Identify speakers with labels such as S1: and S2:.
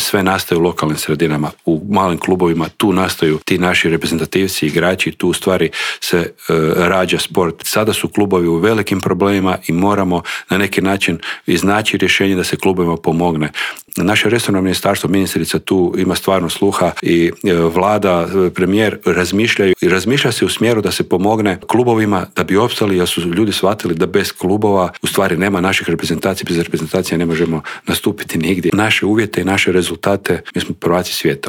S1: sve nastaje u lokalnim sredinama, u malim klubovima, tu nastaju ti naši reprezentativci, igrači, tu u stvari se rađa sport. Sada su klubovi u velikim problemima i moramo na neki način iznaći rješenje da se klubovima pomogne. Naše resorno ministarstvo, ministrica tu ima stvarno sluha i vlada, premijer razmišlja se u smjeru da se pomogne klubovima da bi opstali, jer su ljudi shvatili da bez klubova u stvari nema naših reprezentacija, bez reprezentacija ne možemo nastupiti nigdje. Naše uvjete i naše rezultate, mi smo prvaci svijeta